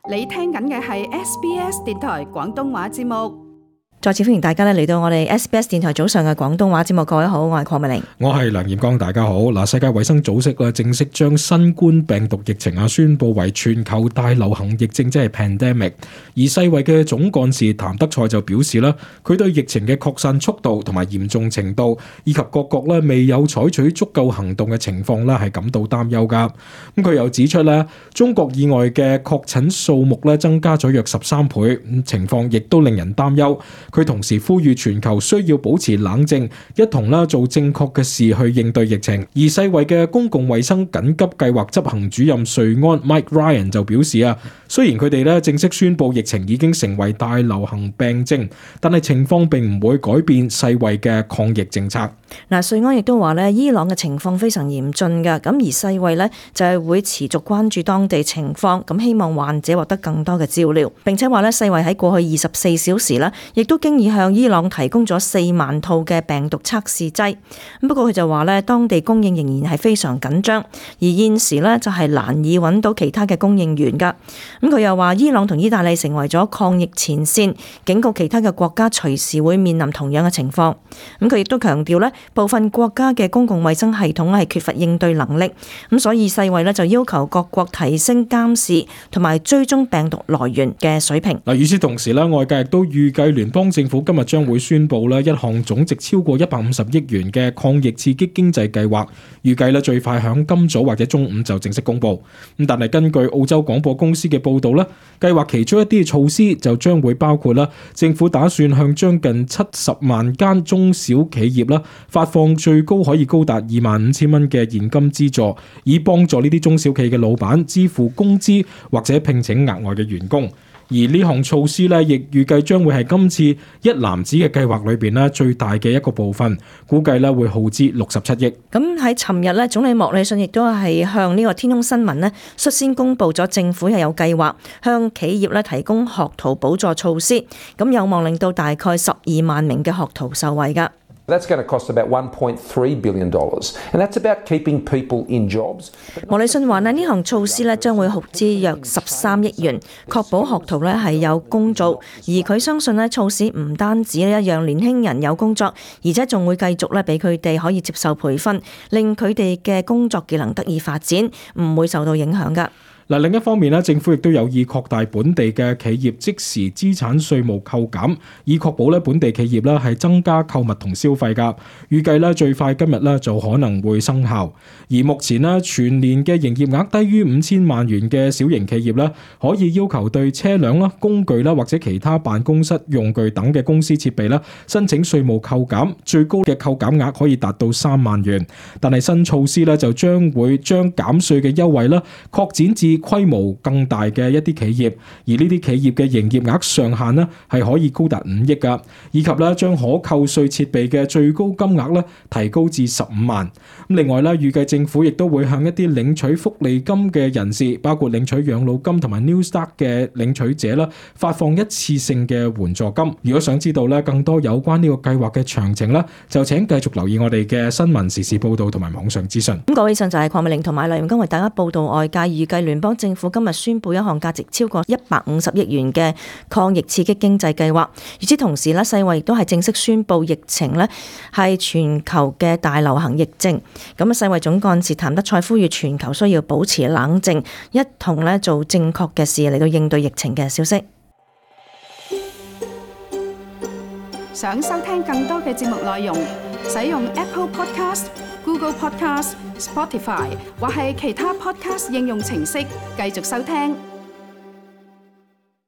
你聽緊嘅係 SBS 電台廣東話節目。再次歡迎大家嚟到我哋 SBS 電台早上嘅廣東話節目。各位好，我係鄺美玲，我係梁彥光，大家好。嗱，世界衛生組織正式將新冠病毒疫情宣布為全球大流行疫症，即係 pandemic。而世衛嘅總幹事譚德塞就表示啦，佢對疫情嘅擴散速度同埋嚴重程度，以及各國未有採取足夠行動嘅情況係感到擔憂噶。咁佢又指出咧，中國以外嘅確診數目增加咗約13倍，情況亦都令人擔憂。佢同時呼籲全球需要保持冷靜，一同做正確嘅事去應對疫情。而世衛嘅公共衛生緊急計劃執行主任瑞安 Mike Ryan 就表示雖然佢哋正式宣布疫情已經成為大流行病症，但係情況並唔會改變世衛嘅抗疫政策。瑞安亦都話伊朗嘅情況非常嚴峻㗎，咁而世衛就係會持續關注當地情況，咁希望患者獲得更多嘅照料，並且話世衛喺過去24小時亦都經已向伊朗提供咗4萬套嘅病毒測試劑。不過佢就話當地供應仍然係非常緊張，而現時就係難以揾到其他嘅供應源㗎。咁佢又話伊朗同意大利成為咗抗疫前線，警告其他嘅國家隨時會面臨同樣嘅情況。咁佢亦都強調部分國家嘅公共衛生系統係缺乏應對能力，咁所以世衛就要求各國提升監視同埋追蹤病毒來源嘅水平。與此同時外界亦都預計聯邦政府今日將會宣布一項總值超過150億元嘅抗疫刺激經濟計劃，預計最快響今早或者中午就正式公布。但係根據澳洲廣播公司嘅報道，計劃其中一啲措施就將會包括政府打算向將近70萬間中小企業發放最高可以高達25,000蚊嘅現金資助，以幫助呢啲中小企嘅老闆支付工資或者聘請額外嘅員工。而呢項措施亦預計將會係今次一籃子嘅計劃裏邊最大嘅一個部分，估計會耗資67億。咁喺尋日總理莫里遜亦都係向呢個天空新聞率先公布咗政府係有計劃向企業提供學徒補助措施，咁有望令到大概12萬名嘅學徒受惠㗎。That's going to cost about $1.3 billion, and that's about keeping people in jobs. 莫里遜話呢項措施將會耗資約13億元，確保學徒係有工做。而佢相信措施唔單止讓年輕人有工作，而且仲會繼續俾佢哋可以接受培訓，令佢哋嘅工作技能得以發展，唔會受到影響㗎。另一方面政府亦都有意擴大本地嘅企業即時資產稅務扣減，以確保本地企業係增加購物同消費㗎。預計最快今日就可能會生效。而目前全年嘅營業額低於5000萬元嘅小型企業可以要求對車輛工具或者其他辦公室用具等嘅公司設備申請稅務扣減，最高嘅扣減額可以達到3萬元。但係新措施就將會將減稅嘅優惠擴展至規模更大嘅一啲企業，而呢啲企業嘅營業額上限係可以高達5億㗎，以及將可扣稅設備嘅最高金額提高至15萬。另外預計政府亦都會向一啲領取福利金嘅人士，包括領取養老金同埋 New Start 嘅領取者發放一次性嘅援助金。如果想知道更多有關呢個計劃嘅詳情就請繼續留意我哋嘅新聞時事報道同埋網上資訊。各位，以上就係鄺美玲同埋梁彥光為大家報道外界預計聯邦政府今日宣布一項價值超過150億元嘅抗疫刺激經濟計劃。與此同時世衛亦都係正式宣布疫情係全球嘅大流行疫症。咁世衛總幹事譚德塞呼籲全球需要保持冷靜，一同做正確嘅事嚟到應對疫情嘅消息。想收聽更多嘅節目內容，使用 Apple Podcast、Google Podcast、Spotify 或係其他 Podcast 應用程式繼續收聽。